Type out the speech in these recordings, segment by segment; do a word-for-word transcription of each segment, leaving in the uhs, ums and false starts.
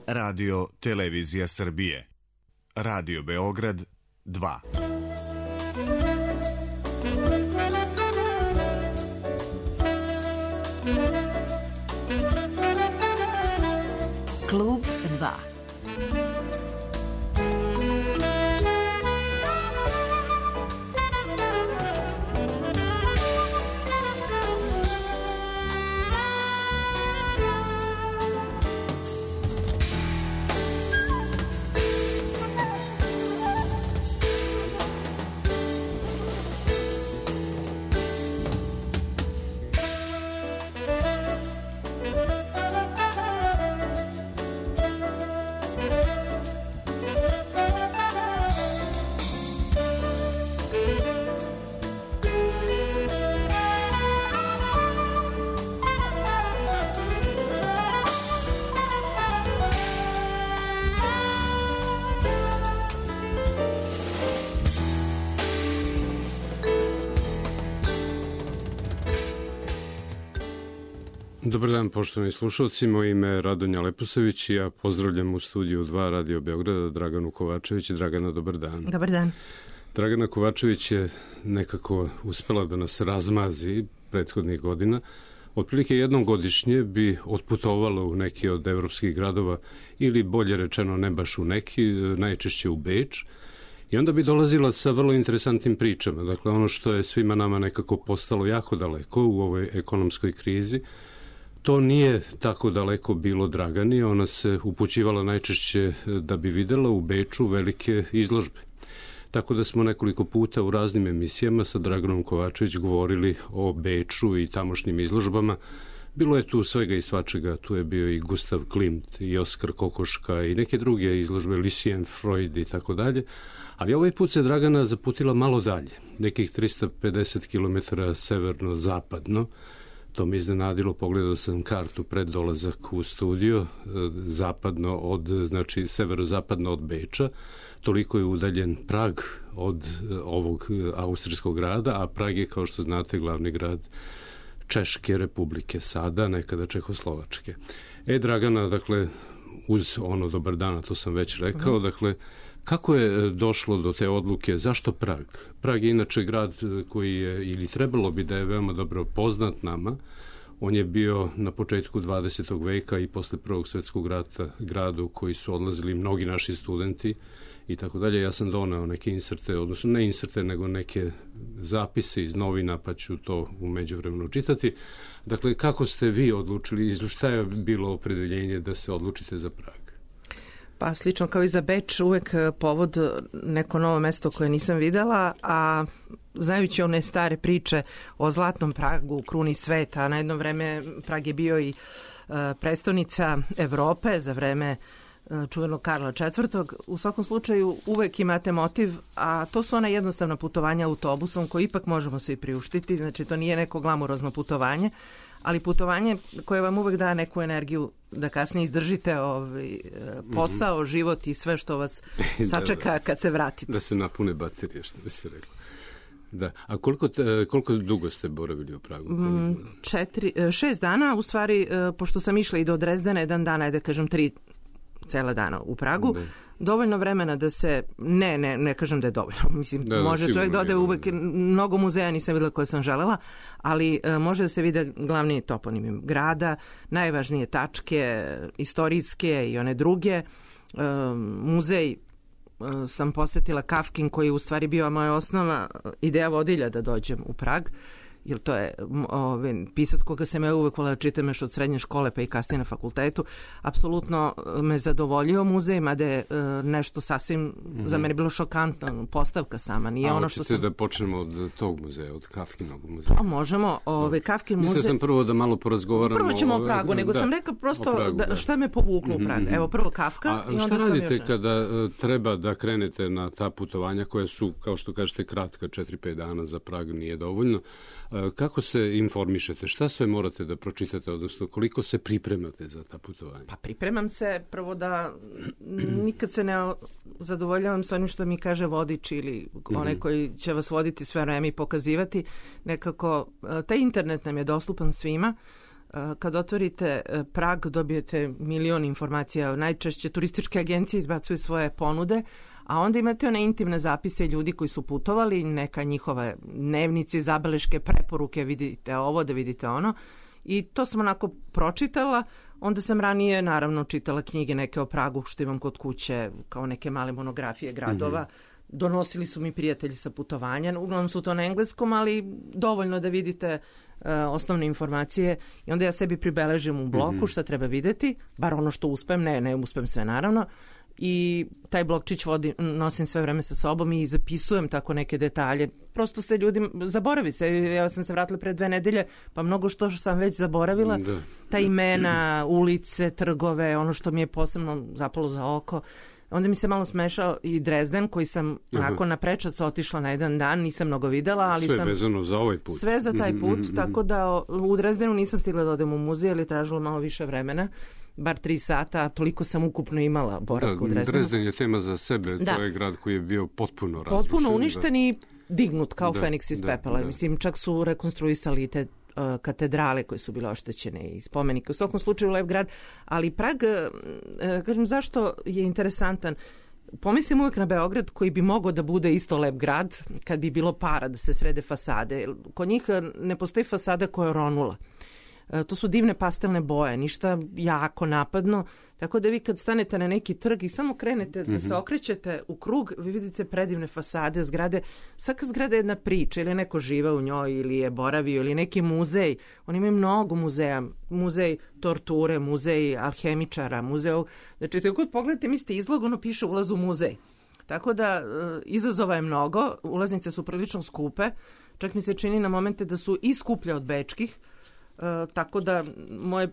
Radio Televizija Srbije. Radio Beograd dva. Klub dva. Dobar dan, poštovani slušalci, moje ime je Radonja Leposavić i ja pozdravljam u studiju dva Radio Beograda Draganu Kovačević. Dragana, dobar dan. Dobar dan. Dragana Kovačević je nekako uspela da nas razmazi prethodnih godina. Otprilike jednom godišnje bi otputovala u neki od evropskih gradova ili bolje rečeno ne baš u neki, najčešće u Beč. I onda bi dolazila sa vrlo interesantnim pričama. Dakle, ono što je svima nama nekako postalo jako daleko u ovoj ekonomskoj krizi, to nije tako daleko bilo Dragani. Ona se upućivala najčešće da bi videla u Beču velike izložbe. Tako da smo nekoliko puta u raznim emisijama sa Draganom Kovačević govorili o Beču i tamošnjim izložbama. Bilo je tu svega i svačega, tu je bio i Gustav Klimt i Oskar Kokoška i neke druge izložbe, Lucien Freud i tako dalje. Ali ovaj put se Dragana zaputila malo dalje, nekih trista pedeset kilometara severno-zapadno. To me iznenadilo, pogledao sam kartu pred dolazak u studio, zapadno od, znači severozapadno od Beča, toliko je udaljen Prag od ovog austrijskog grada, a Prag je, kao što znate, glavni grad Češke republike, sada nekada Čehoslovačke. E, Dragana, dakle, uz ono dobar dana, to sam već rekao, dakle, kako je došlo do te odluke? Zašto Prag? Prag je inače grad koji je, ili trebalo bi da je veoma dobro poznat nama. On je bio na početku dvadesetog veka i posle Prvog svetskog rata gradu koji su odlazili mnogi naši studenti i tako dalje. Ja sam doneo neke inserte, odnosno ne inserte, nego neke zapise iz novina, pa ću to u međuvremenu čitati. Dakle, kako ste vi odlučili, šta je bilo opredeljenje da se odlučite za Prag? Pa slično kao i za Beč, uvek povod neko novo mesto koje nisam videla, a znajući one stare priče o zlatnom Pragu, kruni sveta, na jedno vreme Prag je bio i uh, prestonica Evrope za vreme uh, čuvenog Karla četvrtog. U svakom slučaju uvek imate motiv, a to su ona jednostavna putovanja autobusom koji ipak možemo svi priuštiti, znači to nije neko glamurozno putovanje, ali putovanje koje vam uvek da neku energiju da kasnije izdržite ovaj posao, mm-hmm. život i sve što vas sačeka da, da, kad se vratite. Da se napune baterije, što bi se reklo. Da. A koliko, te, koliko dugo ste boravili u Pragu? Mm, četiri, šest dana, u stvari, pošto sam išla i do Drezdena, jedan dana, da kažem tri cela dana u Pragu, da. Dovoljno vremena da se, ne, ne, ne kažem da je dovoljno, mislim, da, može da, čovjek da ode uvek, mnogo muzeja nisam videla koje sam želela, ali uh, može da se vide glavni toponimi grada, najvažnije tačke, istorijske i one druge. Uh, muzej uh, sam posetila Kafkin, koji je u stvari bio moja osnova ideja vodilja da dođem u Prag, jer to je ovaj, pisac koga sam ja uvek volila čitam još od srednje škole pa i kasnije na fakultetu. Apsolutno me zadovoljio muzej, mada je uh, nešto sasvim mm-hmm. za mene bilo šokantno, postavka sama. Nije A ono što sam... da počnemo od tog muzeja, od Kafkinog muzeja? Pa možemo, ovaj, Kafkin muzej... Mislio sam prvo da malo porazgovaramo... Prvo ćemo o Pragu, ove... nego da, sam rekla prosto Pragu, da, šta me povuklo mm-hmm. u Prag. Evo, prvo Kafka A, i onda šta sam radite još kada uh, treba da krenete na ta putovanja koja su, kao što kažete, kratka, četiri pet dana za Prag nije dovoljno? Uh, kako se informišete? Šta sve morate da pročitate, odnosno koliko se pripremate za ta putovanja? Pa pripremam se prvo da nikad se ne zadovoljavam sa onim što mi kaže vodič ili onaj koji će vas voditi sve vreme i pokazivati. Nekako, taj internet nam je dostupan svima. Kad otvorite Prag dobijete milion informacija, najčešće turističke agencije izbacuju svoje ponude, a onda imate one intimne zapise ljudi koji su putovali, neka njihova dnevnici, zabeleške, preporuke, vidite ovo, da vidite ono. I to sam onako pročitala, onda sam ranije naravno čitala knjige neke o Pragu što imam kod kuće, kao neke male monografije gradova. Mm-hmm. Donosili su mi prijatelji sa putovanja, uglavnom su to na engleskom, ali dovoljno da vidite uh, osnovne informacije i onda ja sebi pribeležim u bloku mm-hmm. šta treba videti, bar ono što uspem, ne, ne uspem sve naravno. I taj blokčić vodi, nosim sve vreme sa sobom i zapisujem tako neke detalje. Prosto se ljudi, zaboravi se. Ja sam se vratila pre dve nedelje, pa mnogo što sam već zaboravila. Da. Ta imena, ulice, trgove, ono što mi je posebno zapalo za oko. Onda mi se malo smešao i Drezden, koji sam onako na prečac otišla na jedan dan, nisam mnogo videla, ali sve sam... Sve vezano za ovaj put. Sve za taj put, mm-hmm. tako da u Drezdenu nisam stigla da odem u muzej, ali tražilo malo više vremena. Bar tri sata, a toliko sam ukupno imala boravka u Drezdenu. Drezden je tema za sebe, da. To je grad koji je bio potpuno razrušen. Potpuno uništen i dignut kao da, Feniks iz da, pepela. Da. Mislim, čak su rekonstruisali te uh, katedrale koje su bile oštećene i spomenike. U svakom slučaju lep grad, ali Prag, uh, kažem, zašto je interesantan? Pomislim uvek na Beograd koji bi mogao da bude isto lep grad kad bi bilo para da se srede fasade. Kod njih ne postoji fasada koja je ronula. To su divne pastelne boje, ništa jako napadno, tako da vi kad stanete na neki trg i samo krenete mm-hmm. da se okrećete u krug, vi vidite predivne fasade, zgrade. Svaka zgrada je jedna priča, ili neko žive u njoj, ili je boravio, ili neki muzej. Oni imaju mnogo muzeja, muzej torture, muzej alhemičara, muzej... Znači, tako kad pogledate, mislite izlog, ono piše ulaz u muzej. Tako da, izazova je mnogo, ulaznice su prilično skupe, čak mi se čini na momente da su i skuplje od bečkih. Uh, tako da moje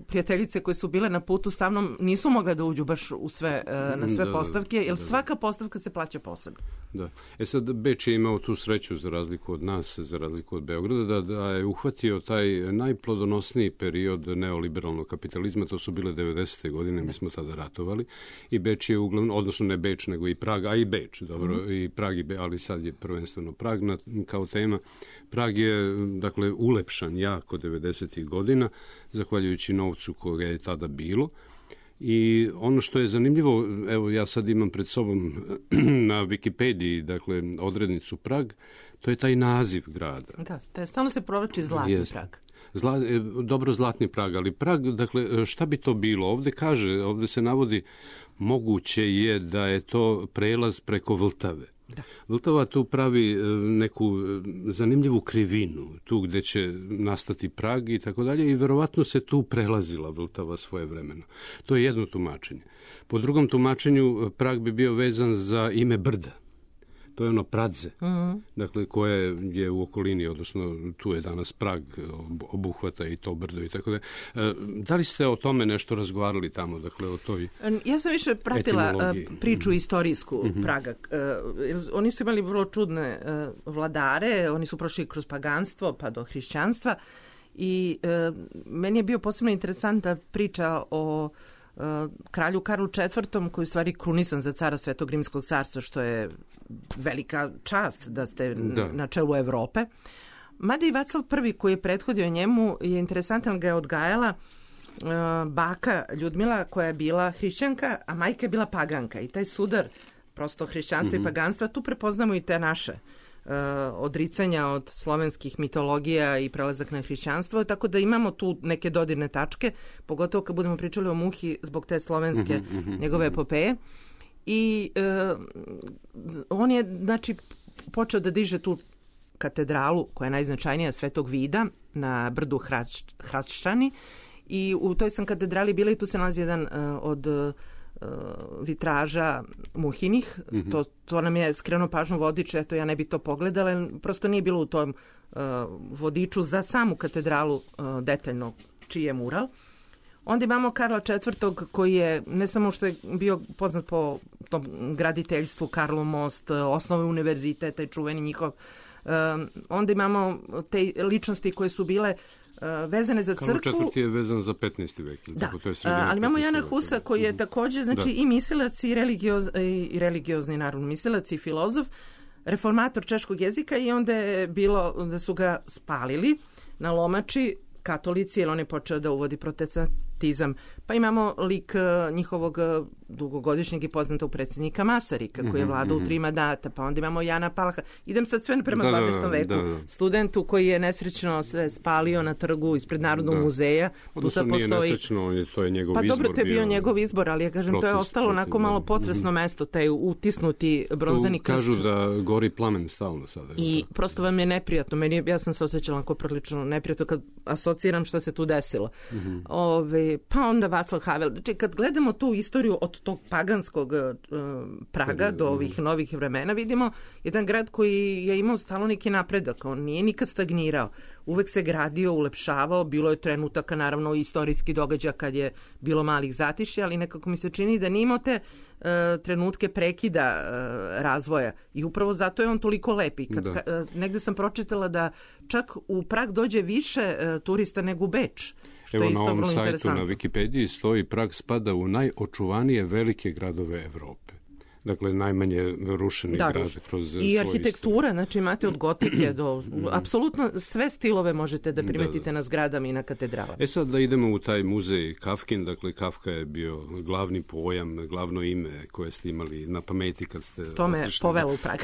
prijateljice koje su bile na putu sa mnom nisu mogle da uđu baš u sve, uh, na sve da, postavke, jer da, da. svaka postavka se plaća posebno. Da. E sad, Beč je imao tu sreću za razliku od nas, za razliku od Beograda, da, da je uhvatio taj najplodonosniji period neoliberalnog kapitalizma, to su bile devedesete godine, mi smo tada ratovali, i Beč je uglavnom, odnosno ne Beč, nego i Prag, a i Beč, dobro, mm-hmm. i Prag i Beč, ali sad je prvenstveno Prag na, kao tema. Prag je, dakle, ulepšan jako devedesetih godina, zahvaljujući novcu koga je tada bilo. I ono što je zanimljivo, evo ja sad imam pred sobom na Wikipediji, dakle, odrednicu Prag, to je taj naziv grada. Da, stalno se provlači Zlatni Jest. Prag. Zla, dobro, Zlatni Prag, ali Prag, dakle, šta bi to bilo? Ovde kaže, ovde se navodi, moguće je da je to prelaz preko Vltave. Da. Vltava tu pravi neku zanimljivu krivinu, tu gde će nastati Prag i tako dalje, i verovatno se tu prelazila Vltava svojevremeno. To je jedno tumačenje. Po drugom tumačenju, Prag bi bio vezan za ime brda. To je ono Pradze, mm-hmm. dakle, koje je u okolini, odnosno tu je danas Prag, obuhvata i to brdo i tako da. Da li ste o tome nešto razgovarali tamo, dakle, o toj Ja sam više pratila etimologiji. Priču mm-hmm. istorijsku mm-hmm. Praga. Oni su imali vrlo čudne vladare, oni su prošli kroz paganstvo pa do hrišćanstva i meni je bio posebno interesantna priča o Uh, kralju Karlu četvrtom, koji je u stvari krunisan za cara Svetog Rimskog carstva, što je velika čast da ste da. na čelu Evrope. Mada i Vaclav prvi, koji je prethodio njemu, je interesantan, ga je odgajala uh, baka Ljudmila, koja je bila hrišćanka, a majka je bila paganka. I taj sudar prosto hrišćanstva mm-hmm. i paganstva, tu prepoznamo i te naše Uh, odricanja od slovenskih mitologija i prelazak na hrišćanstvo, tako da imamo tu neke dodirne tačke, pogotovo kad budemo pričali o Muhi zbog te slovenske mm-hmm, mm-hmm, njegove epopeje. I uh, on je, znači, počeo da diže tu katedralu, koja je najznačajnija, Svetog Vida, na brdu Hraščani, i u toj sam katedrali bila i tu se nalazi jedan uh, od uh, vitraža Muhinih. Mm-hmm. To, to nam je skrenuo pažnju vodič, eto ja ne bi to pogledala, prosto nije bilo u tom uh, vodiču za samu katedralu uh, detaljno čiji je mural. Onda imamo Karla četvrtog, koji je ne samo što je bio poznat po tom graditeljstvu, Karlov most, osnove univerziteta, taj čuveni njihov. Uh, onda imamo te ličnosti koje su bile vezane za crkvu. Karlo četvrti je vezan za petnaesti vek. Da, tako, to je ali imamo Jana Husa, koji je također, znači, da. i mislilac i, religioz, i religiozni, naravno, mislilac i filozof, reformator češkog jezika, i onda je bilo da su ga spalili na Lomači katolici, jer on je počeo da uvodi protestantizam. Pa imamo lik uh, njihovog uh, dugogodišnjeg i poznatog predsjednika Masarika, koji je vladao mm-hmm. u tri mandata. Pa onda imamo Jana Palaha. Idem sad sve prema da, dvadesetom veku. Da, da. Studentu koji je nesrećno se spalio na trgu ispred Narodnog da. muzeja. Odnosno nije postoji... nesrećno, to je njegov pa, izbor. Pa dobro, to je bio, bio njegov izbor, ali ja kažem, protest, to je ostalo protiv, onako malo potresno mm-hmm. mesto, taj utisnuti bronzani krst. Kažu da gori plamen stalno sada. I prosto vam je neprijatno. Meni, ja sam se osjećala onako prilično neprijatno kad asociram šta se tu desilo. Mm-hmm. Ove, pa onda Václav Havel. Znači, kad gledamo tu istoriju od tog paganskog uh, Praga do ovih novih vremena, vidimo jedan grad koji je imao stalno neki napredak. On nije nikad stagnirao. Uvek se gradio, ulepšavao. Bilo je trenutaka, naravno, istorijski događaj kad je bilo malih zatišća, ali nekako mi se čini da nije imao te uh, trenutke prekida uh, razvoja. I upravo zato je on toliko lepi. Kad, ka, uh, negde sam pročitala da čak u Prag dođe više uh, turista nego u Beč. Što Evo je isto na ovom sajtu na Wikipediji stoji Prag spada u najočuvanije velike gradove Evrope. Dakle, najmanje rušeni da, grad kroz i arhitektura, istoriju. Znači imate od gotike do... apsolutno sve stilove možete da primetite da, da. na zgradama i na katedralama. E sad da idemo u taj muzej Kafkin, dakle Kafka je bio glavni pojam, glavno ime koje ste imali na pameti kad ste... To me povelo u Prag.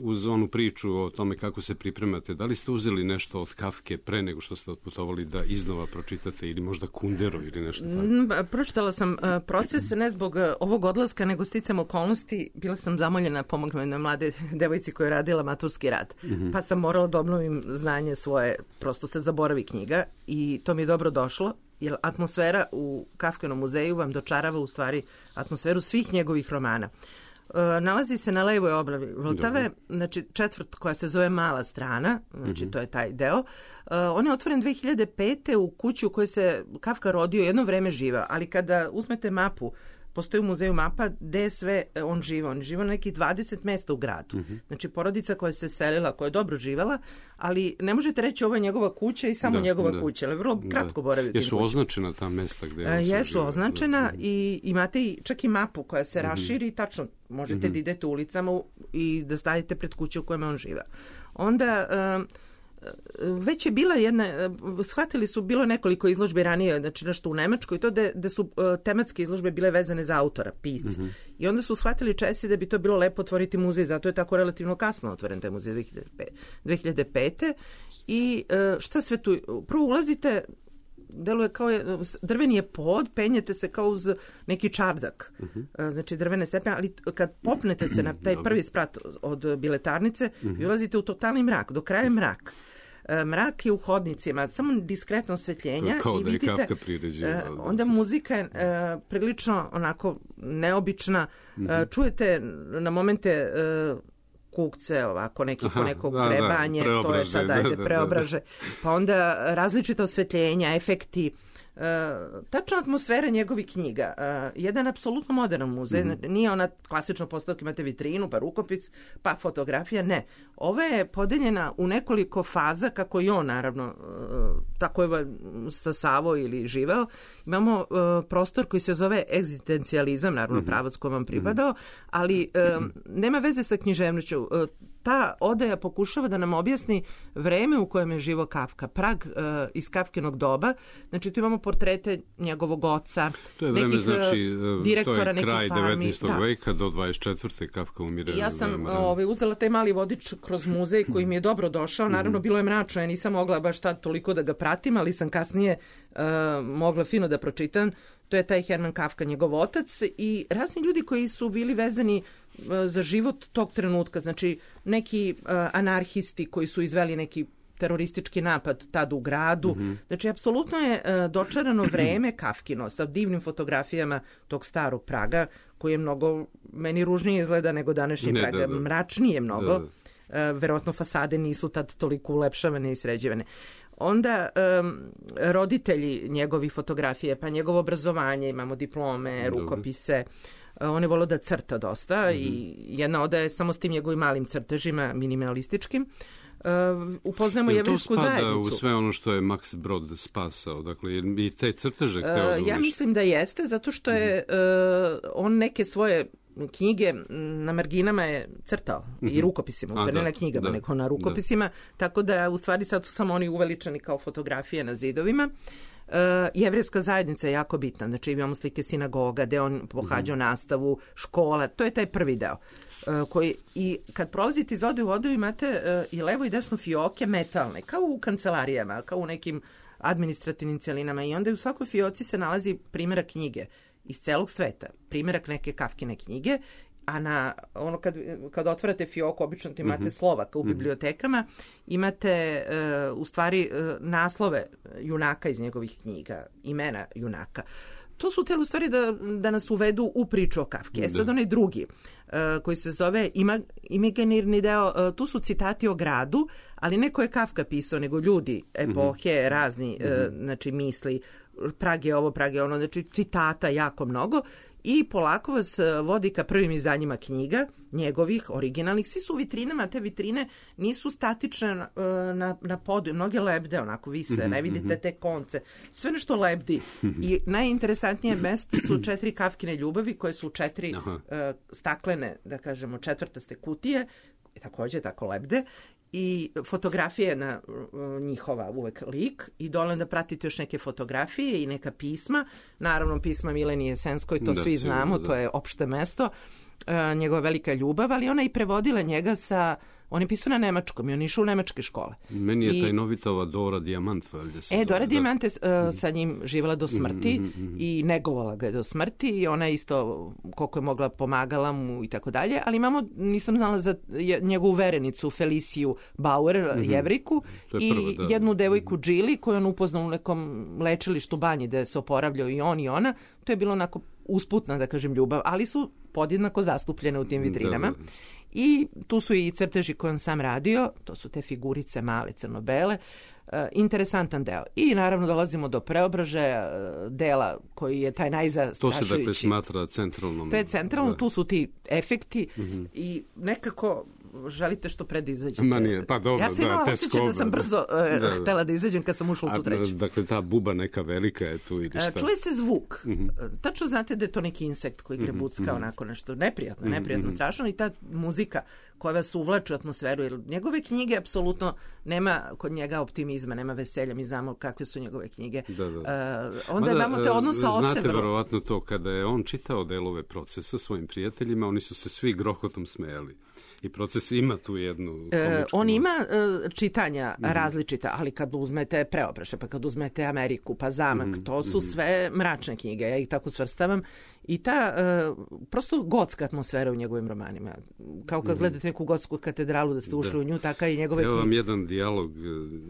Uz onu priču o tome kako se pripremate, da li ste uzeli nešto od Kafke pre nego što ste otputovali da iznova pročitate ili možda Kunderu ili nešto tako? Pročitala sam proces ne zbog ovog odlaska, nego sticam okolnosti. Bila sam zamoljena pomogla na mlade devojci koja je radila maturski rad. Mm-hmm. Pa sam morala da obnovim znanje svoje. Prosto se zaboravi knjiga i to mi je dobro došlo. Jer atmosfera u Kafkinom muzeju vam dočarava u stvari atmosferu svih njegovih romana. E, nalazi se na levoj oblavi Vltave, Dobre. znači četvrt koja se zove Mala strana, znači mm-hmm. to je taj deo. E, on je otvoren dve hiljade pete u kući u kojoj se Kafka rodio, jedno vreme živao, ali kada uzmete mapu, postoji u muzeju mapa gde sve on živa. On živa na nekih dvadeset mesta u gradu. Mm-hmm. Znači, porodica koja se selila, koja je dobro živala, ali ne možete reći ovo je njegova kuća i samo da, njegova da. kuća, ali vrlo kratko boravi u tim Jesu kućima. Označena ta mesta gde on se Jesu živa, označena da. i imate i, čak i mapu koja se mm-hmm. raširi i tačno možete mm-hmm. da idete ulicama i da stavite pred kuću u kojima on živa. Onda... Um, već je bila jedna, shvatili su, bilo nekoliko izložbi ranije, znači nešto u Nemačkoj, i to da, da su uh, tematske izložbe bile vezane za autora, pisca. Mm-hmm. I onda su shvatili Česi da bi to bilo lepo otvoriti muzej, zato je tako relativno kasno otvoren taj muzej dve hiljade pete. I uh, šta sve tu? Prvo ulazite, deluje kao je, drveni je pod, penjete se kao uz neki čardak, uh-huh. znači drvene stepene, ali kad popnete se na taj prvi sprat od biletarnice, uh-huh. vi ulazite u totalni mrak, do kraja je mrak. Mrak je u hodnicima, samo diskretno osvetljenja kao i da vidite, je onda muzika je uh, prilično onako neobična, uh-huh. uh, čujete na momente uh, kukce, ovako neki Aha, po nekog da, grebanje, da, to je sad ajde, da, preobraže. Pa onda različita osvetljenja, efekti, uh, tačna atmosfera njegovih knjiga. Uh, jedan apsolutno modern muzej, mm-hmm. nije ona klasično postavka, imate vitrinu, pa rukopis, pa fotografija, ne. Ova je podeljena u nekoliko faza, kako i on, naravno, uh, tako je stasavo ili živeo. Imamo uh, prostor koji se zove egzistencijalizam, naravno mm-hmm. pravac koji vam pripadao, ali um, nema veze sa književnošću. Uh, ta odaja pokušava da nam objasni vreme u kojem je živo Kafka. Prag uh, iz Kafkinog doba, znači tu imamo portrete njegovog oca, to je vreme, nekih znači, direktora, nekih farmi. To je kraj devetnaestog da. veka do dvadeset četvrte Kafka umire. Ja sam ovaj, uzela taj mali vodič kroz muzej koji mi je dobro došao. Naravno, bilo je mračno, ja nisam mogla baš tad toliko da ga pratim, ali sam kasnije uh, mogla fino da pročitam. To je taj Herman Kafka, njegov otac, i razni ljudi koji su bili vezani uh, za život tog trenutka. Znači, neki uh, anarhisti koji su izveli neki teroristički napad tad u gradu. Mm-hmm. Znači, apsolutno je uh, dočarano vreme Kafkino sa divnim fotografijama tog starog Praga, koji je mnogo, meni ružnije izgleda nego današnji ne, Prag. Da, da. Mračnije mnogo. Da, da. Uh, verovatno fasade nisu tad toliko ulepšavane i sređivane. Onda um, roditelji njegovih fotografije, pa njegovo obrazovanje, imamo diplome, rukopise. Uh, on je volio da crta dosta mm-hmm. i jedna oda je samo s tim njegovim malim crtežima, minimalističkim. Uh, upoznajemo jevrejsku zajednicu. To spada u sve ono što je Max Brod spasao, dakle, i te crteže hteo da uh, Ja mislim da jeste, zato što je uh, on neke svoje knjige na marginama je crtao mm-hmm. i rukopisima, u stvari ne na knjigama, da, nego na rukopisima, da. Tako da u stvari sad su samo oni uveličani kao fotografije na zidovima. Uh, jevrejska zajednica je jako bitna, znači imamo slike sinagoga gde on pohađao mm-hmm. nastavu, škola, to je taj prvi deo. Uh, koji, i kad prolazite iz ode u odu imate uh, i levo i desno fioke metalne, kao u kancelarijama, kao u nekim administrativnim celinama i onda u svakoj fioci se nalazi primjerak knjige iz celog sveta, primjerak neke Kafkine knjige, a na ono kad, kad otvarate fioku, obično imate mm-hmm. slova kao u bibliotekama, imate uh, u stvari uh, naslove junaka iz njegovih knjiga, imena junaka. To su htjeli u stvari da, da nas uvedu u priču o Kafki. E sad onaj drugi, uh, koji se zove ima, imaginarni deo, uh, tu su citati o gradu, ali ne koje je Kafka pisao, nego ljudi, epohe, mm-hmm. razni uh, znači misli, Prag je ovo, Prag je ono, znači citata jako mnogo i polako vas vodi ka prvim izdanjima knjiga, njegovih, originalnih, svi su u vitrinama, te vitrine nisu statične na, na, na podu, mnoge lebde onako vise, mm-hmm, ne vidite mm-hmm. te konce, sve nešto lebdi i najinteresantnije mesto su četiri Kafkine ljubavi koje su četiri uh, staklene, da kažemo, četvrtaste kutije, takođe tako lebde, i fotografije na uh, njihova uvek lik i dole da pratite još neke fotografije i neka pisma, naravno pisma Milenije Senskoj, to da, svi znamo, da. To je opšte mesto, uh, njegova velika ljubav, ali ona i prevodila njega sa, on je pisao na nemačkom i on išao u nemačke škole. Meni je I, taj novitova Dora Dijamant. E, Dora Dijamant je uh, sa njim živjela do smrti mm-hmm, mm-hmm. i negovala ga je do smrti i ona isto koliko je mogla pomagala mu i tako dalje, ali imamo, nisam znala za njegovu verenicu Feliciju Bauer, mm-hmm. Jevriku i prvo, da. jednu devojku Džili koju on upoznao u nekom lečilištu banji gde se oporavljao i on i ona. To je bilo onako usputna, da kažem, ljubav, ali su podjednako zastupljene u tim vitrinama. Da, da. I tu su i crteži koje on sam radio, to su te figurice male, crno-bele, uh, interesantan deo. I naravno dolazimo do Preobražaja, uh, dela koji je taj najzastrašujući. To se dakle smatra centralnom. To je centralno, da. Tu su ti efekti mm-hmm. i nekako želite što pre da izađete. Ma nije, pa dobro, ja sam imala da, osjećaj da sam brzo uh, da, htela da izađem kad sam ušla u tu treću. Dakle, ta buba neka velika je tu ili šta? Čuje se zvuk. Mm-hmm. Tačno znate da je to neki insekt koji grebucka mm-hmm. onako nešto neprijatno, mm-hmm. neprijatno, strašno i ta muzika koja vas uvlači u atmosferu. Jer njegove knjige apsolutno nema kod njega optimizma, nema veselja. Mi znamo kakve su njegove knjige. Da, da. Uh, onda Mada, imamo te odnos sa ocem. Znate verovatno to, kada je on čitao delove procesa svojim prijateljima, oni su se svi grohotom smejali. I proces ima tu jednu komičku. E, on ima e, čitanja mm-hmm. različita, ali kad uzmete Preobraže, pa kad uzmete Ameriku, pa Zamak, mm-hmm. to su mm-hmm. sve mračne knjige, ja ih tako svrstavam. I ta e, prosto gotska atmosfera u njegovim romanima. Kao kad mm-hmm. gledate neku gotsku katedralu da ste ušli da. u nju, taka i njegove knjige. Evo vam jedan dijalog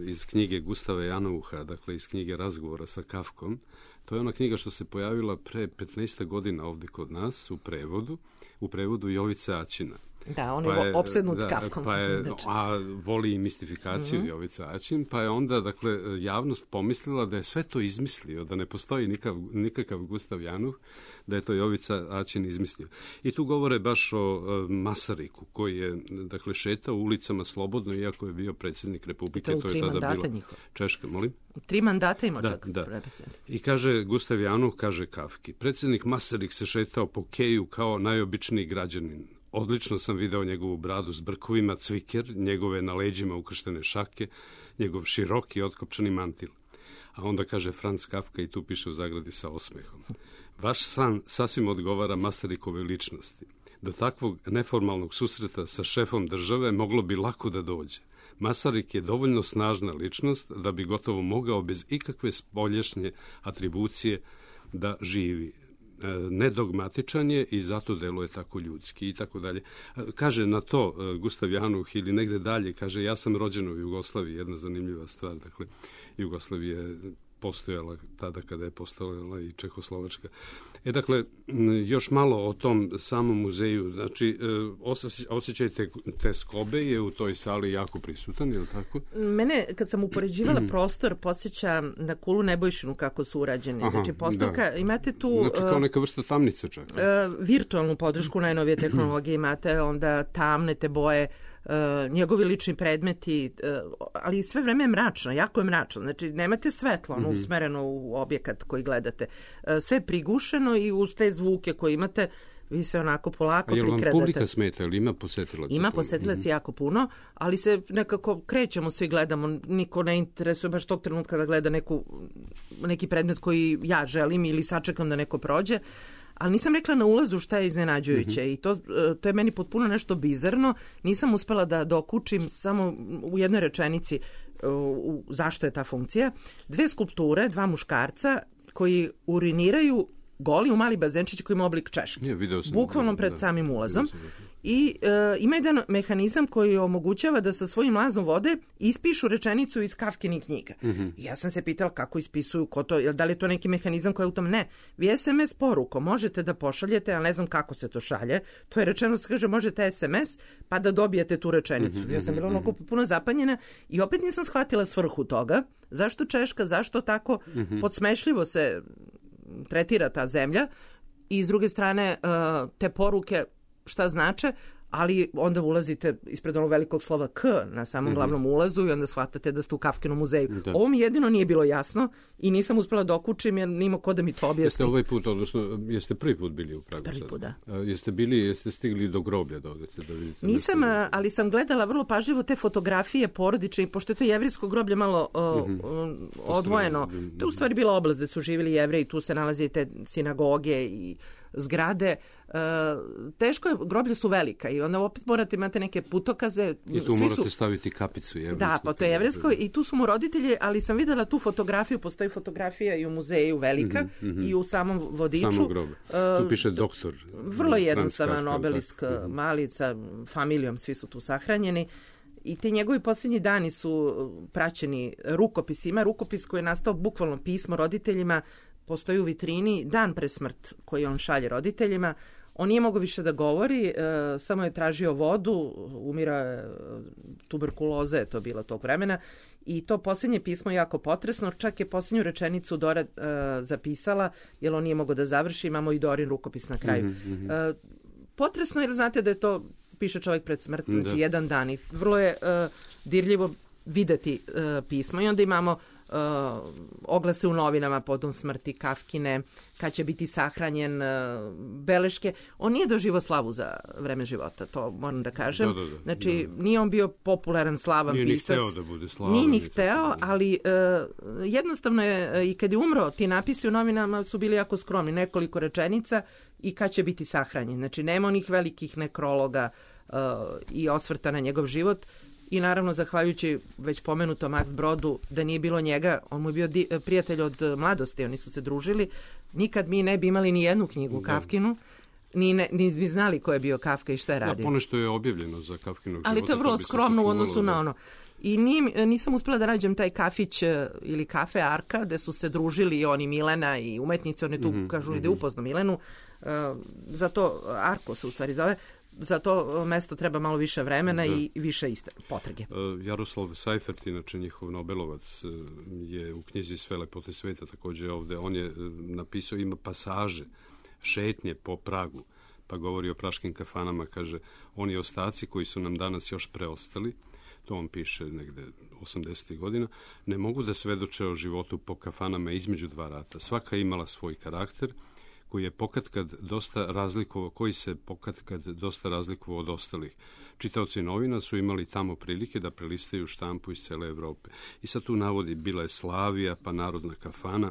iz knjige Gustava Janouha, dakle iz knjige Razgovora sa Kafkom. To je ona knjiga što se pojavila pre petnaest godina ovdje kod nas u prevodu, u prevodu Jovice Aćina. Da, on je, pa je opsednut da, Kafkom. Pa je, a voli i mistifikaciju mm-hmm. Jovica Aćin, pa je onda, dakle, javnost pomislila da je sve to izmislio, da ne postoji nikav, nikakav Gustav Januh, da je to Jovica Aćin izmislio. I tu govore baš o uh, Masariku, koji je, dakle, šetao ulicama slobodno, iako je bio predsjednik Republike. To, to je tada bila njihova. Češka, molim? Tri mandata ima da, čak. Da. I kaže Gustav Januh, kaže Kafki, predsjednik Masarik se šetao po keju kao najobičniji građanin. Odlično sam video njegovu bradu s brkovima, cviker, njegove na leđima ukrštene šake, njegov široki otkopčani mantil. A onda kaže Franz Kafka, i tu piše u zagradi sa osmehom. Vaš san sasvim odgovara Masarikove ličnosti. Do takvog neformalnog susreta sa šefom države moglo bi lako da dođe. Masarik je dovoljno snažna ličnost da bi gotovo mogao bez ikakve spoljašnje atribucije da živi. Nedogmatičan je i zato deluje tako ljudski i tako dalje. Kaže na to Gustav Januh ili negde dalje, kaže ja sam rođen u Jugoslaviji, jedna zanimljiva stvar, dakle Jugoslavija je postojala tada kada je postojala i Čehoslovačka. E dakle, još malo o tom samom muzeju. Znači, osjećaj te, te skobe je u toj sali jako prisutan, je li tako? Mene, kad sam upoređivala prostor, posjeća na Kulu Nebojšinu kako su urađeni. Aha, znači, postavka, da. Imate tu... Znači, kao neka vrsta tamnice čak. Uh, virtualnu podršku, najnovije tehnologije imate, onda tamne te boje, njegovi lični predmeti, ali sve vreme je mračno, jako je mračno. Znači, nemate svetlo, ono, mm-hmm. usmereno u objekat koji gledate. Sve je prigušeno i uz te zvuke koje imate, vi se onako polako prikredate. A je li vam publika smeta, ili ima posetilaca? Ima posetilaca mm-hmm. jako puno, ali se nekako krećemo, svi gledamo, niko ne interesuje baš tog trenutka da gleda neku, neki predmet koji ja želim ili sačekam da neko prođe. Ali nisam rekla na ulazu šta je iznenađujuće mm-hmm. i to, to je meni potpuno nešto bizarno. Nisam uspela da dokučim samo u jednoj rečenici u, zašto je ta funkcija. Dve skulpture, dva muškarca koji uriniraju goli u mali bazenčić koji ima oblik češke. Ja, video sam, bukvalno pred da, samim ulazom. I e, ima jedan mehanizam koji omogućava da sa svojim lazom vode ispišu rečenicu iz Kafkinih knjiga. Mm-hmm. Ja sam se pitala kako ispisuju, ko to, da li je to neki mehanizam koji je u tom? Ne. Vi es em es porukom možete da pošaljete, ali ne znam kako se to šalje. To je rečeno, se kaže, možete es em es pa da dobijete tu rečenicu. Mm-hmm. Ja sam bila onako puno zapanjena i opet nisam shvatila svrhu toga. Zašto Češka, zašto tako mm-hmm. podsmešljivo se tretira ta zemlja i s druge strane te poruke šta znače, ali onda ulazite ispred onog velikog slova K na samom mm-hmm. glavnom ulazu i onda shvatate da ste u Kafkinom muzeju. Da. Ovo mi jedino nije bilo jasno i nisam uspela da okučim jer nima ko da mi to objasni. Jeste ovaj put, odnosno, jeste prvi put bili u Pragu? Prvi put, da. A, jeste bili, jeste stigli do groblja da odete da vidite? Nisam, nešto... ali sam gledala vrlo pažljivo te fotografije porodične, pošto je to jevrijsko groblje malo uh, mm-hmm. odvojeno. To je u stvari bila oblast gde su živjeli Jevreji, tu se nalaze te sinagoge i zgrade. Uh, teško je, groblje su velika i onda opet morate imate neke putokaze. I tu Svi morate su... staviti kapicu jevrijsku. Da, pa to je jevrijsko i tu su mu roditelji, ali sam videla tu fotografiju, postoji fotografija i u muzeju velika mm-hmm. i u samom vodiču. Samo grobe. Uh, tu piše doktor. Vrlo jednostavan obelisk mm-hmm. mali sa familijom, svi su tu sahranjeni. I ti njegovi posljednji dani su praćeni rukopisima. Rukopis koji je nastao bukvalno pismo roditeljima, postoji u vitrini dan pre smrt koji on šalje roditeljima. On nije mogao više da govori, e, samo je tražio vodu, umira tuberkuloza je to bila tog vremena i to posljednje pismo je jako potresno, čak je posljednju rečenicu Dora e, zapisala, jer on nije mogao da završi, imamo i Dorin rukopis na kraju. Mm-hmm. E, potresno jer znate da je to, piše čovjek pred smrt, znači da. jedan dan i vrlo je e, dirljivo videti e, pismo i onda imamo Uh, oglase u novinama potom smrti Kafkine, kad će biti sahranjen, uh, beleške. On nije doživao slavu za vreme života, to moram da kažem. Da, da, da, znači, da. nije on bio popularan, slavan nije pisac. Nije ni hteo da bude slavan. Nije ni hteo, ali uh, jednostavno je, uh, i kad je umro, ti napisi u novinama su bili jako skromni, nekoliko rečenica i kad će biti sahranjen. Znači, nema onih velikih nekrologa uh, i osvrta na njegov život. I naravno, zahvaljujući već pomenutom Max Brodu, da nije bilo njega, on mu je bio di, prijatelj od mladosti, oni su se družili, nikad mi ne bi imali ni jednu knjigu Kafkinu, ni, ne, ni bi znali ko je bio Kafka i šta je radio. Da, ponešto je objavljeno za Kafkinog života. Ali to je vrlo skromno u odnosu na ono. I nije, nisam uspela da nađem taj kafić ili kafe Arka, gde su se družili i oni Milena i umetnici, oni tu mm-hmm, kažu mm-hmm. da je upozno Milenu, uh, zato Arko se u stvari zove. Za to mesto treba malo više vremena da. i više iste potrage. Jaroslav Seifert, inače njihov Nobelovac, je u knjizi Sve lepote sveta također ovde. On je napisao, ima pasaže, šetnje po Pragu, pa govori o praškim kafanama, kaže, oni ostaci koji su nam danas još preostali, to on piše negde osamdesetih godina, ne mogu da svedoče o životu po kafanama između dva rata. Svaka je imala svoj karakter, koji je pokatkad dosta razlikovao, koji se pokatkad dosta razlikovao od ostalih. Čitaoci novina su imali tamo prilike da prelistaju štampu iz cele Evrope. I sad tu navodi, bila je Slavija, pa Narodna kafana.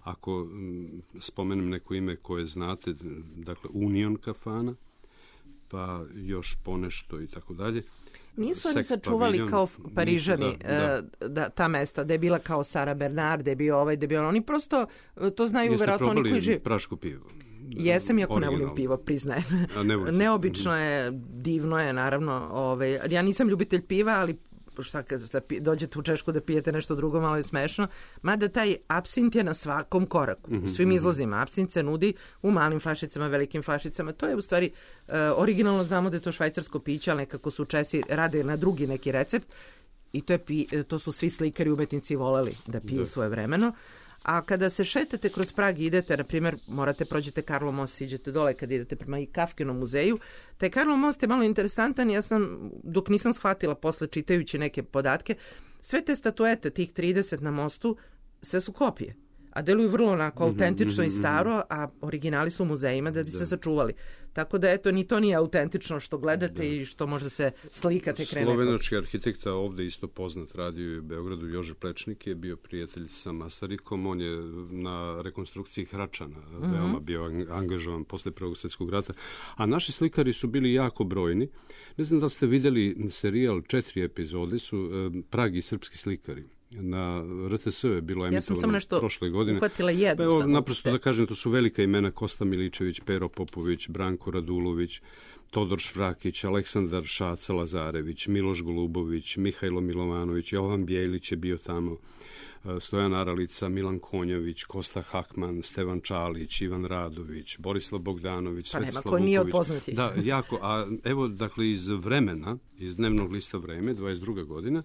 Ako m, spomenem neko ime koje znate, dakle Union kafana, pa još ponešto i tako dalje. Nisu oni sačuvali paviljon, kao Parižani da, da. Da, ta mesta, da je bila kao Sara Bernard, da je bio ovaj, da je bio oni prosto to znaju verovatno oni koji žive. Jeste probali prašku pivo? Jesam, iako ne volim pivo, priznajem. Ne Neobično je, divno je, naravno. Ovaj, ja nisam ljubitelj piva, ali šta kad dođete u Češku da pijete nešto drugo, malo je smešno. Mada taj apsint je na svakom koraku. U svim izlazima apsint se nudi u malim flašicama, velikim flašicama. To je u stvari uh, originalno, znamo da je to švajcarsko piće, ali nekako su Česi rade na drugi neki recept i to, je pi, to su svi slikari, umetnici voleli da piju da. svoje vremeno. A kada se šetate kroz Prag i idete, na primjer, morate prođete Karlov most, siđete dole kad idete prema i Kafkinom muzeju. Taj Karlov most je malo interesantan, ja sam, dok nisam shvatila posle čitajući neke podatke, sve te statuete, tih trideset na mostu, sve su kopije. A deluju vrlo onako autentično i staro, a originali su u muzejima da bi da. se sačuvali. Tako da, eto, ni to nije autentično što gledate da. i što možda se slikate krene. Slovenački arhitekta, ovde isto poznat, radio u Beogradu, Jože Plečnik je bio prijatelj sa Masarikom. On je na rekonstrukciji Hračana mm-hmm. veoma bio angažovan posle Prvog svjetskog rata. A naši slikari su bili jako brojni. Ne znam da ste videli serijal, četiri epizode su Prag i srpski slikari. Na R T S je bilo emitovano ja prošle godine. Uhvatila jednu pa evo, naprosto da kažem, to su velika imena: Kosta Miličević, Pero Popović, Branko Radulović, Todor Švrakić, Aleksandar Šaca Lazarević, Miloš Golubović, Mihajlo Milovanović, Jovan Bjelić je bio tamo, Stojan Aralica, Milan Konjović, Kosta Hakman, Stevan Čalić, Ivan Radović, Borislav Bogdanović, pa Svetislav nema, ko nije Vuković. Od poznatih. Da, jako. A evo, dakle, iz Vremena, iz dnevnog lista Vreme, dvadeset druga godina,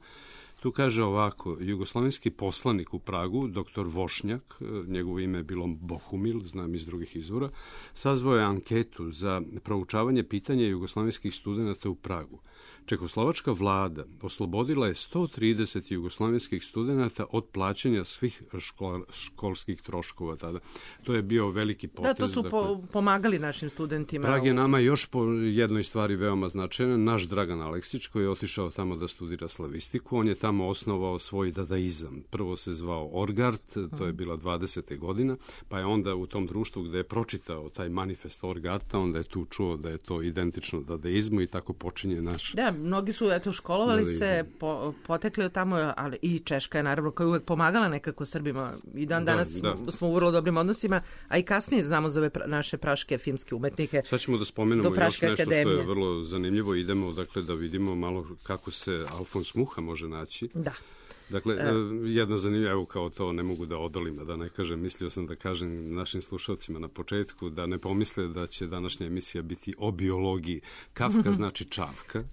tu kaže ovako: jugoslovenski poslanik u Pragu, doktor Vošnjak, njegovo ime je bilo Bohumil, znam iz drugih izvora, sazvao je anketu za proučavanje pitanja jugoslovenskih studenata u Pragu. Čekoslovačka vlada oslobodila je sto trideset jugoslovenskih studenata od plaćanja svih škol, školskih troškova tada. To je bio veliki potez. Da, to su dakle, po, pomagali našim studentima. Prag je nama još po jednoj stvari veoma značajna. Naš Dragan Aleksić, koji je otišao tamo da studira slavistiku, on je tamo osnovao svoj dadaizam. Prvo se zvao Orgart, to je bila dvadesete godina, pa je onda u tom društvu gde je pročitao taj manifest Orgarta, onda je tu čuo da je to identično dadaizmu i tako počinje naš... Da, mnogi su eto školovali da, se, po, potekli od tamo, ali i Češka je naravno koja je uvek pomagala nekako Srbima. I dan danas da, da. Smo, smo u vrlo dobrim odnosima, a i kasnije znamo za ove pra, naše praške filmske umetnike. Sad ćemo da spomenemo još nešto akademije. Što je vrlo zanimljivo. Idemo dakle da vidimo malo kako se Alfons Muha može naći. Da. Dakle, e, jedna zanimljiva, evo kao to ne mogu da odolim, da ne kažem, mislio sam da kažem našim slušalcima na početku da ne pomisle da će današnja emisija biti o biologiji. Kafka znači čavka.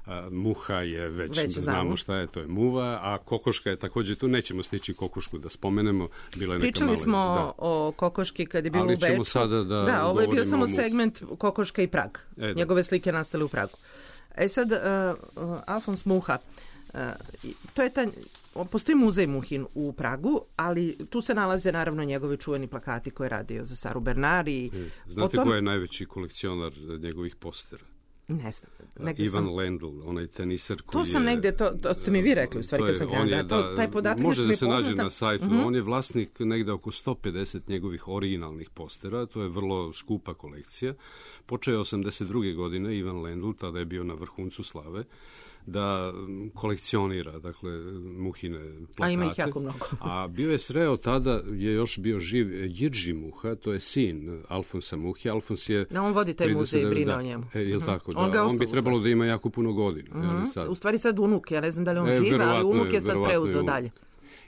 A, muha je, već, već znamo šta je, to je muva, a kokoška je također tu, nećemo stići kokošku da spomenemo, bila je neka Pričali mala, smo da. o kokoški kad je bilo ali u Beču. Sada da, da, ovo je bio samo segment kokoška i Prag. E, Njegove slike nastale u Pragu. E sad, uh, uh, Alfons Muha, uh, to je ta, postoji muzej Muhin u Pragu, ali tu se nalaze naravno njegovi čuveni plakati koje je radio za Saru Bernard. I e, znate potom... ko je najveći kolekcionar njegovih postera? Ne znam. Ivan sam... Lendl, onaj tenisar koji to sam je... negde, to, to ste mi vi rekli u stvari kad sam krenula. Da, to, taj podatak može da se poznata. nađe na sajtu. Mm-hmm. On je vlasnik negde oko sto pedeset njegovih originalnih postera. To je vrlo skupa kolekcija. Počeo je osamdeset druge godine Ivan Lendl, tada je bio na vrhuncu slave, da kolekcionira, dakle, Muhine plakate. A ima ih jako mnogo. A bio je sreo, tada je još bio živ Jirži Muha, to je sin Alfonsa Muhe. Alfons je... No, on vodi taj muzej i brine o njemu. E, uh-huh. tako, da. On, on bi trebalo da ima jako puno godina. Uh-huh. Sad. U stvari sad unuk, ja ne znam da li on e, živa, ali unuk je sad preuzeo dalje.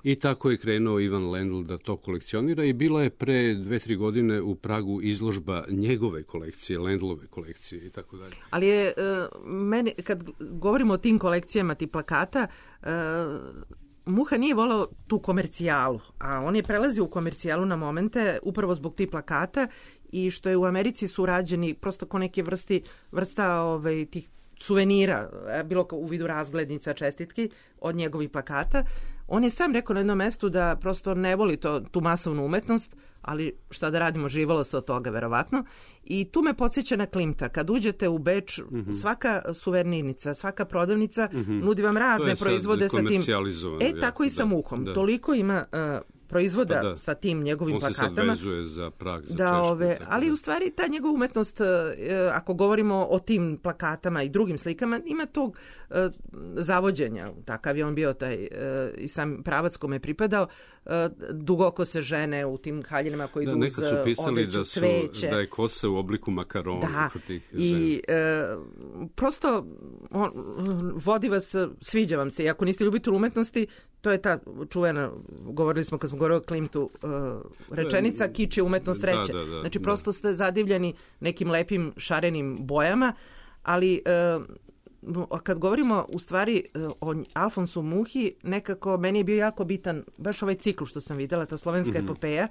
I tako je krenuo Ivan Lendl da to kolekcionira i bila je pre dve, tri godine u Pragu izložba njegove kolekcije, Lendlove kolekcije i tako dalje. Ali je, uh, meni, kad govorimo o tim kolekcijama, ti plakata, uh, Muha nije volao tu komercijalu, a on je prelazio u komercijalu na momente upravo zbog tih plakata i što je u Americi su rađeni prosto ko neke vrsti, vrsta ovaj, tih suvenira, bilo u vidu razglednica, čestitki od njegovih plakata. On je sam rekao na jednom mestu da prosto ne voli to, tu masovnu umetnost, ali šta da radimo, živalo se od toga verovatno. I tu me podsjeća na Klimta. Kad uđete u Beč, mm-hmm. svaka suvenirnica, svaka prodavnica mm-hmm. nudi vam razne proizvode sa tim. E, tako i sa Muhom. Da. Toliko ima... Uh, proizvoda pa da. Sa tim njegovim on plakatama. On se sad vezuje za Prag, za da, Češku. Ove, ali u stvari ta njegova umetnost, ako govorimo o tim plakatama i drugim slikama, ima tog uh, zavođenja. Takav je on bio taj uh, i sam pravac kome je pripadao. Uh, dugoko se žene u tim haljinama koji da, idu uz nekad su pisali odeću, da, su, cveće. da je kosa u obliku makarona. Da, tih i uh, prosto on, vodi vas, sviđa vam se. I ako niste ljubitelj umetnosti, to je ta čuvena, govorili smo kad smo govorili o Klimtu, uh, rečenica kič je umetnost sreće. Da, da, da, znači da. prosto ste zadivljeni nekim lepim šarenim bojama, ali uh, kad govorimo u stvari o Alfonsu Muhi, nekako meni je bio jako bitan baš ovaj cikl što sam vidjela, ta slovenska mm-hmm. epopeja.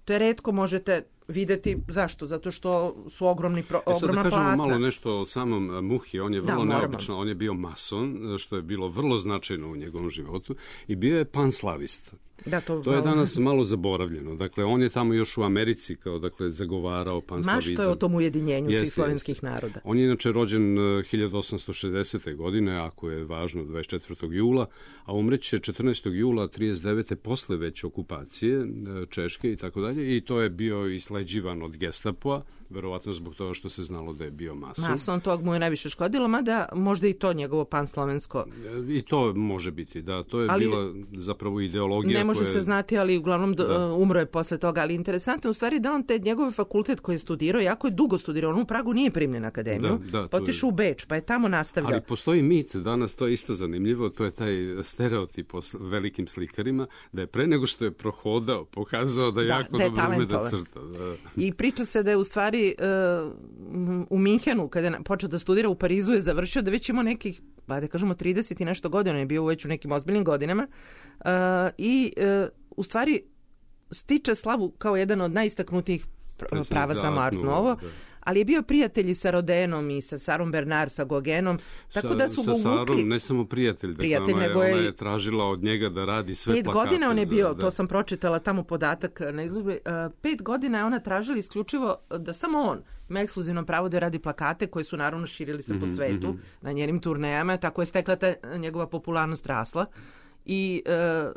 To je retko možete vidjeti. Zašto? Zato što su ogromni pro, e sad ogromna da kažemo platna. malo nešto o samom Muhi. On je vrlo da, neobično. On je bio mason, što je bilo vrlo značajno u njegovom životu. I bio je panslavista. Da, to, to je danas malo zaboravljeno. Dakle, on je tamo još u Americi kao dakle zagovarao panslavizam. Ma što je o tom ujedinjenju jeste, svih slovenskih jeste. naroda. On je inače rođen hiljadu osamsto šezdesete. godine, ako je važno dvadeset četvrtog jula, a umreće četrnaestog jula trideset devete posle već okupacije Češke i tako dalje. I to je bio isleđivan od Gestapoa, verovatno zbog toga što se znalo da je bio mason. Mason, tog mu je najviše škodilo, mada možda i to njegovo panslovensko. I to može biti, da. To je ali, bila zapravo ideologija. Ne može koje... se znati, ali uglavnom da. umro je posle toga. Ali interesantno u stvari da on te njegove fakultet koji je studirao, jako je dugo studirao. On u Pragu nije primljen na akademiju, da, da, pa otišao je... u Beč, pa je tamo nastavljao. Ali postoji mit, danas to je isto zanimljivo, to je taj stereotip o velikim slikarima, da je pre nego što je prohodao, pokazao da, da jako da dobro ume da crta. Da. I priča se da je u stvari uh, u Minhenu, kada je počeo da studira, u Parizu je završio, da već imao nekih, ba da kažemo trideset i nešto godina, je bio već u nekim ozbiljnim godinama uh, i uh, u stvari stiče slavu kao jedan od najistaknutijih pravaca Art Nouveau, ali je bio prijatelj i sa Rodenom i sa Sarom Bernard, sa Gogenom, tako sa, da su sa ga uvukli. Sarom ne samo prijatelj, prijatelj dakle, nego ona, je, je, ona je tražila od njega da radi sve pet plakate. Pet godina on je bio, za, da. to sam pročitala tamo podatak na izložbi, uh, pet godina je ona tražila isključivo da samo on ima ekskluzivno pravo da radi plakate koje su naravno širili se mm-hmm, po svetu mm-hmm. na njenim turnejama, tako je stekla ta njegova popularnost rasla. I uh,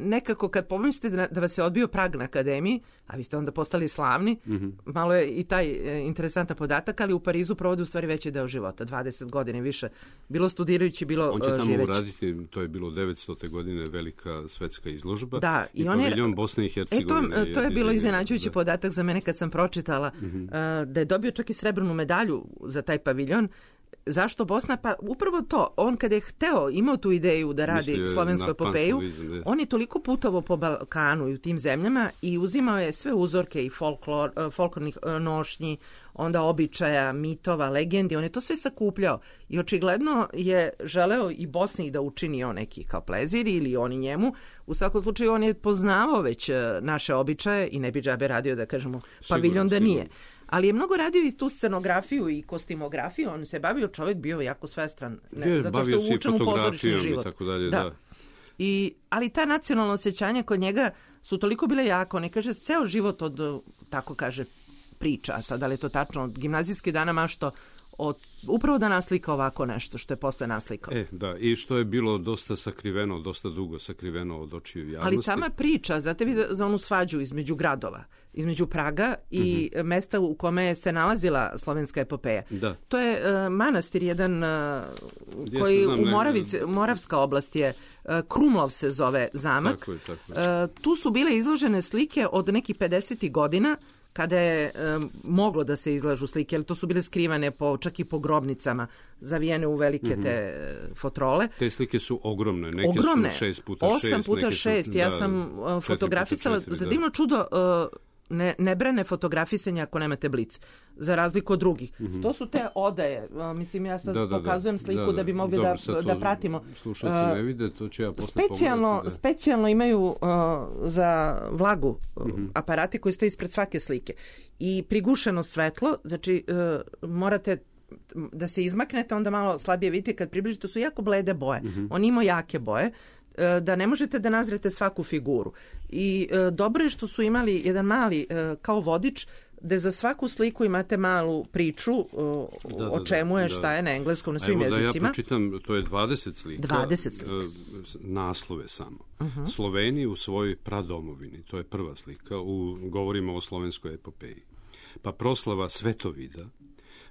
nekako kad pomislite da, da vas je odbio Prag na akademiji, a vi ste onda postali slavni, mm-hmm. malo je i taj e, interesantan podatak, ali u Parizu provodi u stvari veći deo života, dvadeset godine više, bilo studirajući, bilo živeći. On će tamo živeći. uraditi, to je bilo devetstote. godine velika svetska izložba da, i, i on paviljon Bosne i Hercegovine. E, to, to je bilo iznenađujući podatak za mene kad sam pročitala mm-hmm. uh, da je dobio čak i srebrnu medalju za taj paviljon. Zašto Bosna? Pa upravo to. On kad je hteo, imao tu ideju da radi Mislio slovensku epopeju, on je toliko putovao po Balkanu i u tim zemljama i uzimao je sve uzorke i folklor, folklornih nošnji, onda običaja, mitova, legendi. On je to sve sakupljao i očigledno je želeo i Bosni da učini on neki kao plezir ili oni njemu. U svakom slučaju on je poznavao već naše običaje i ne bi džabe radio da kažemo paviljon da nije. Ali je mnogo radio i tu scenografiju i kostimografiju, on se bavio, čovjek bio jako svestran, ne, je, zato što je uvučen u pozorišni život. I tako dalje, da. Da. I, ali ta nacionalna osjećanja kod njega su toliko bile jako, ne kaže, ceo život od, tako kaže, priča, a sad da li je to tačno, od gimnazijskih dana mašto, od, upravo da naslika ovako nešto što je posle naslikao. E, da, i što je bilo dosta sakriveno, dosta dugo sakriveno od očiju javnosti. Ali sama priča, znate vi za onu svađu između gradova, između Praga i mm-hmm. mesta u kome se nalazila slovenska epopeja. Da. To je uh, manastir jedan uh, koji znam, u Moravici, Moravska oblast je, uh, Krumlov se zove zamak. Tako je, tako je. Uh, tu su bile izložene slike od nekih pedesetih godina, kada je um, moglo da se izlažu slike, ali to su bile skrivane po, čak i po grobnicama, zavijene u velike mm-hmm. te fotrole. Te slike su ogromne, neke ogromne. su šest puta šest. Osam puta šest, ja da, sam uh, fotografisala, za divno čudo, uh, ne, ne brane fotografisanje ako nemate blic, za razliku od drugih. Mm-hmm. To su te odaje, uh, mislim ja sad da, da, pokazujem sliku da, da, da bi mogli Dobro, da, da pratimo. Slušalci ne vide, to će ja posle specijalno, pogledati. Da. Specijalno imaju uh, za vlagu uh, mm-hmm. aparati koji stoji ispred svake slike. I prigušeno svetlo, znači uh, morate da se izmaknete, onda malo slabije vidite, kad približite, to su jako blede boje. Mm-hmm. On ima jake boje, da ne možete da nazrete svaku figuru. I e, dobro je što su imali jedan mali e, kao vodič gde za svaku sliku imate malu priču o, da, da, o čemu je, da, šta je na engleskom, na svim jezicima. Da ja pročitam, to je dvadeset slika. dvadeset slika. Naslove samo. Uh-huh. Sloveni u svojoj pradomovini, to je prva slika, u, govorimo o slovenskoj epopeji. Pa proslava Svetovida,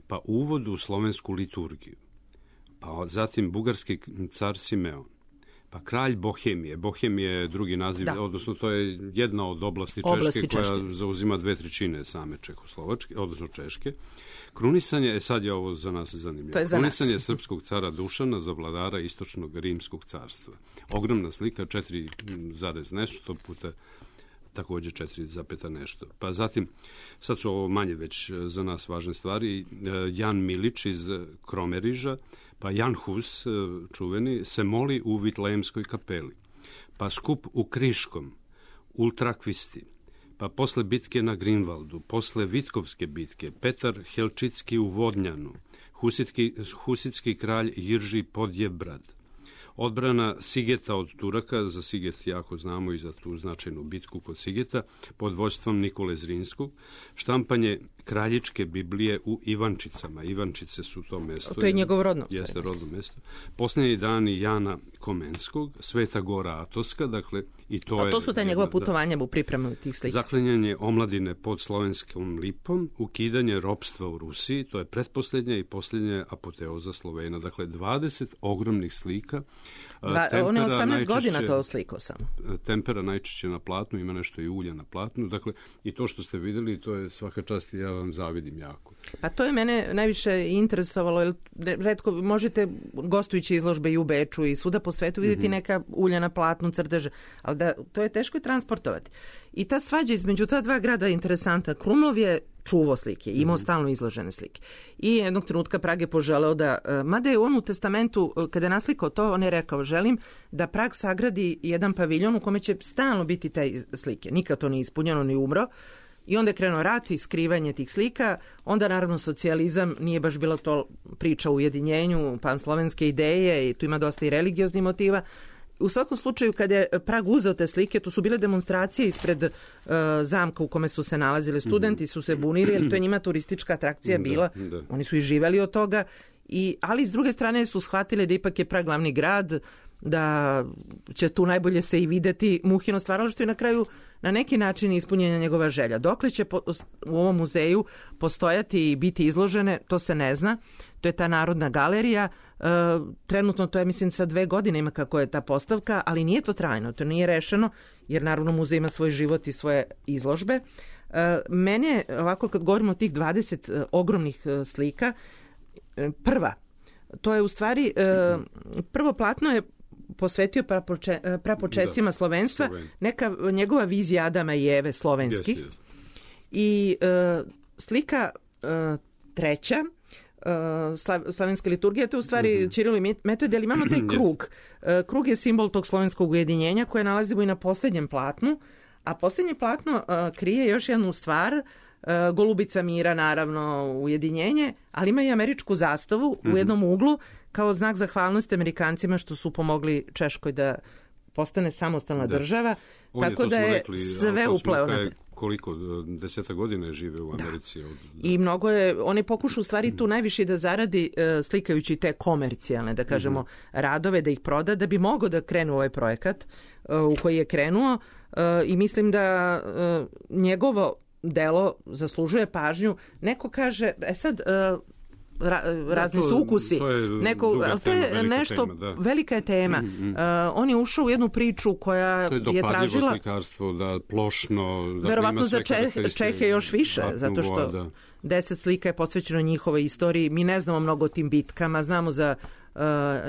pa uvod u slovensku liturgiju, pa zatim bugarski car Simeon, pa kralj Bohemije. Bohemije je drugi naziv, da. Odnosno to je jedna od oblasti, oblasti Češke, Češke koja zauzima dve trećine same Čehoslovačke, odnosno Češke. Krunisanje, e sad je ovo za nas zanimljivo. Za Krunisanje nas. Srpskog cara Dušana za vladara istočnog rimskog carstva. Ogromna slika, četiri zarez nešto puta također četiri zarez nešto. Pa zatim, sad su ovo manje već za nas važne stvari, Jan Milić iz Kromeriža, pa Jan Hus, čuveni, se moli u Vitlejemskoj kapeli, pa skup u Kriškom, Ultrakvisti, pa posle bitke na Grinvaldu, posle Vitkovske bitke, Petar Helčitski u Vodnjanu, Husitski, Husitski kralj Jirži Podjebrad, odbrana Sigeta od Turaka, za Siget jako znamo i za tu značajnu bitku kod Sigeta, pod vođstvom Nikole Zrinskog, štampanje kraljičke Biblije u Ivančicama. Ivančice su to mesto. To je njegovo rodno. Jeste rodno mesto. Posljednji dani Jana Komenskog, Sveta Gora Atoska, dakle, i to, A to je... su ta njegova putovanja u pripremu tih slika. Zaklanjanje omladine pod slovenskom lipom, ukidanje ropstva u Rusiji, to je pretposljednja i posljednja apoteoza Slovena. Dakle, dvadeset ogromnih slika. Dva, on je osamnaest godina to slikao sam. Tempera najčešće na platnu, ima nešto i ulja na platnu. Dakle, i to što ste vidjeli, to je svaka čast i ja vam zavidim jako. Pa to je mene najviše interesovalo, jer retko možete gostujući izložbe i u Beču i svuda po svetu vidjeti mm-hmm. neka ulja na platnu, crteže, ali da, to je teško i transportovati. I ta svađa između ta dva grada je interesanta. Krumlov je čuvao slike, imao mm-hmm. stalno izložene slike. I jednog trenutka Prag je poželeo da, mada je on u testamentu, kada je naslikao to, on je rekao, želim da Prag sagradi jedan paviljon u kome će stalno biti te slike. Nikad to nije ispunjeno, ni umro. I onda je krenuo rat i skrivanje tih slika. Onda naravno socijalizam, nije baš bilo to priča o ujedinjenju, panslovenske ideje i tu ima dosta i religioznih motiva. U svakom slučaju, kada je Prag uzeo te slike, to su bile demonstracije ispred uh, zamka u kome su se nalazili studenti, su se bunili, jer to je njima turistička atrakcija bila. Da, da. Oni su i živeli od toga. I, ali s druge strane su shvatili da ipak je Prag glavni grad, da će tu najbolje se i videti Muhino stvaralaštvo i na kraju na neki način ispunjenja njegova želja. Dokle će po, u ovom muzeju postojati i biti izložene, to se ne zna. To je ta Narodna galerija. E, trenutno to je, mislim, sa dve godine ima kako je ta postavka, ali nije to trajno, to nije rešeno, jer naravno muzej ima svoj život i svoje izložbe. E, mene, ovako kad govorimo o tih dvadeset e, ogromnih e, slika, e, prva, to je u stvari, e, prvo platno je posvetio prapoče, prapočecima da, slovenstva, Sloven. Neka njegova vizija Adama i Eve slovenskih. Yes, yes. I e, slika e, treća, e, slavenska liturgija, to je u stvari mm-hmm. Ćiril i Metod, ali imamo taj krug. Yes. E, krug je simbol tog slovenskog ujedinjenja koje nalazimo i na posljednjem platnu, a posljednje platno e, krije još jednu stvar, e, golubica mira, naravno, ujedinjenje, ali ima i američku zastavu mm-hmm. u jednom uglu, kao znak zahvalnosti Amerikancima što su pomogli Češkoj da postane samostalna da. država. On tako je, da je rekli, sve upleo. Koliko, deseta godina je žive u Americi. Da. Od, da. I mnogo je, on je pokušao u stvari tu najviše da zaradi uh, slikajući te komercijalne, da kažemo, mm-hmm. radove, da ih proda, da bi mogao da krenu ovaj projekat uh, u koji je krenuo uh, i mislim da uh, njegovo delo zaslužuje pažnju. Neko kaže, e sad... Uh, Ra, razni da, to, su ukusi. To je, Neko, ali to je tema, nešto, tema, da. velika je tema. Mm-hmm. Uh, on je ušao u jednu priču koja to je, je tražila... slikarstvo, da plošno... Da verovatno za Čeh, Čehe još više, zato što da. deset slika je posvećeno njihovoj istoriji. Mi ne znamo mnogo o tim bitkama, znamo za uh,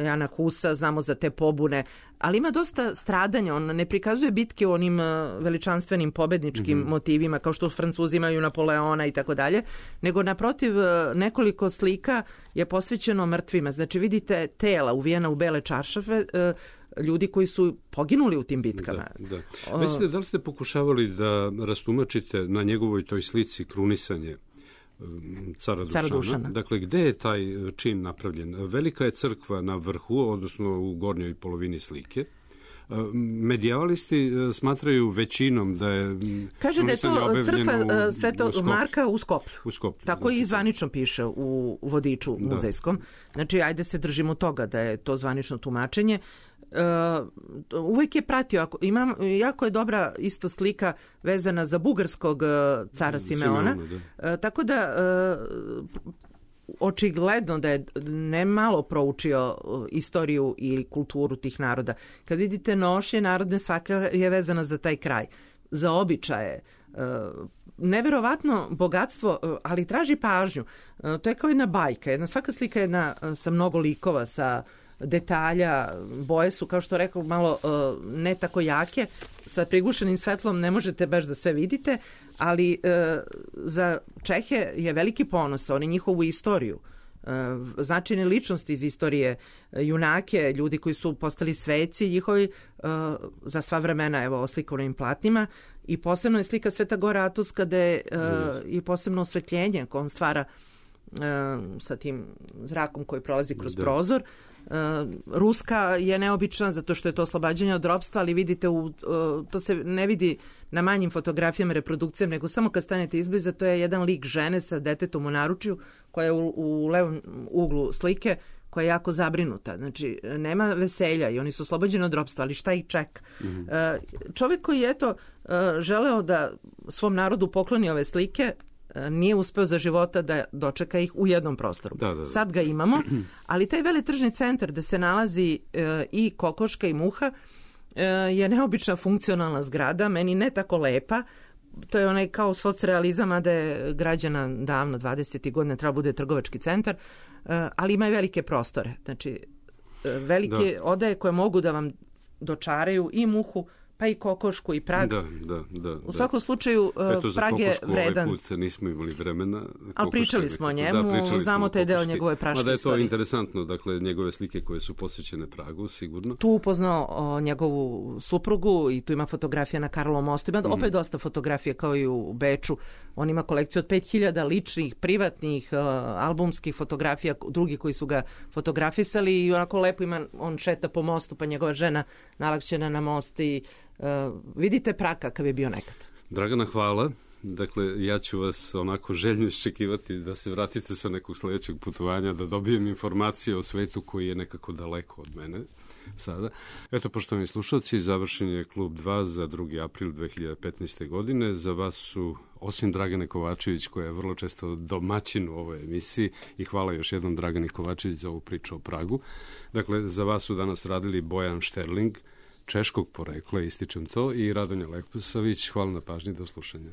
Jana Husa, znamo za te pobune, ali ima dosta stradanja. On ne prikazuje bitke u onim uh, veličanstvenim pobedničkim mm-hmm. motivima, kao što Francuzi imaju Napoleona i tako dalje, nego naprotiv uh, nekoliko slika je posvećeno mrtvima. Znači vidite tela uvijena u bele čaršafe, uh, ljudi koji su poginuli u tim bitkama. Da, da. Mislite, da li ste pokušavali da rastumačite na njegovoj toj slici krunisanje cara Dušana. cara Dušana? Dakle, gde je taj čin napravljen? Velika je crkva na vrhu, odnosno u gornjoj polovini slike. Medijavalisti smatraju većinom da je... Kaže da je to crkva Svetog Marka u Skoplju. U Skoplju. Tako i zvanično piše u vodiču da. muzejskom. Znači, ajde se držimo toga da je to zvanično tumačenje. Uh, uvijek je pratio, ako, imam, jako je dobra isto slika vezana za bugarskog uh, cara Simeona, Simeona da. Uh, tako da uh, očigledno da je ne malo proučio uh, istoriju i kulturu tih naroda. Kad vidite nošnje narodne, svaka je vezana za taj kraj, za običaje, uh, neverovatno bogatstvo, uh, ali traži pažnju. Uh, to je kao jedna bajka, jedna, svaka slika je jedna uh, sa mnogo likova, sa detalja, boje su, kao što rekao, malo ne tako jake, sa prigušenim svetlom ne možete baš da sve vidite, ali za Čehe je veliki ponos, oni njihovu istoriju, značajne ličnosti iz istorije, junake, ljudi koji su postali sveci njihovi za sva vremena, evo, oslikano im platnima, i posebno je slika Sveta Gora Atuska gde je i posebno osvetljenje koje on stvara sa tim zrakom koji prolazi kroz da. prozor. Ruska je neobična zato što je to oslobađanje od ropstva, ali vidite, u, to se ne vidi na manjim fotografijama, reprodukcijama, nego samo kad stanete izbliza, to je jedan lik žene sa detetom u naručju koja je u, u levom uglu slike, koja je jako zabrinuta. Znači, nema veselja i oni su oslobođeni od ropstva, ali šta ih čeka? Mm-hmm. Čovjek koji je eto želeo da svom narodu pokloni ove slike, nije uspeo za života da dočeka ih u jednom prostoru. Da, da, da. Sad ga imamo, ali taj veletržni centar gde se nalazi e, i kokoška i muha e, je neobična funkcionalna zgrada, meni ne tako lepa. To je onaj kao socrealizam, a da je građana davno, dvadesetih godina, treba bude trgovački centar, e, ali ima i velike prostore. Znači, e, velike da. odaje koje mogu da vam dočaraju i muhu, pa i kokošku i Prag. Da, da, da. U svakom slučaju, Eto, Prag je vredan. Ovaj put nismo imali vremena. Ali pričali smo o njemu, da, znamo taj deo njegove praške istorije. Da je to istorije. Interesantno, dakle, njegove slike koje su posvećene Pragu, sigurno. Tu upoznao o, njegovu suprugu i tu ima fotografija na Karlovom mostu. Ima mm. opet dosta fotografija kao i u Beču. On ima kolekciju od pet hiljada ličnih, privatnih, uh, albumskih fotografija, drugi koji su ga fotografisali i onako lepo ima, on šeta po mostu, pa njegova žena nalakćena na most i Uh, vidite Prag kakav je bio nekad. Dragana, hvala. Dakle, ja ću vas onako željno iščekivati da se vratite sa nekog sljedećeg putovanja, da dobijem informacije o svetu koji je nekako daleko od mene sada. Eto, poštovani slušalci, završen je Klub dva za drugi april dve hiljade petnaeste. godine. Za vas su, osim Dragane Kovačević, koja je vrlo često domaćin u ovoj emisiji, i hvala još jednom Dragani Kovačević za ovu priču o Pragu. Dakle, za vas su danas radili Bojan Šterling, češkog porekla, ističem to, i Radonja Leposavić. Hvala na pažnji, do slušanja.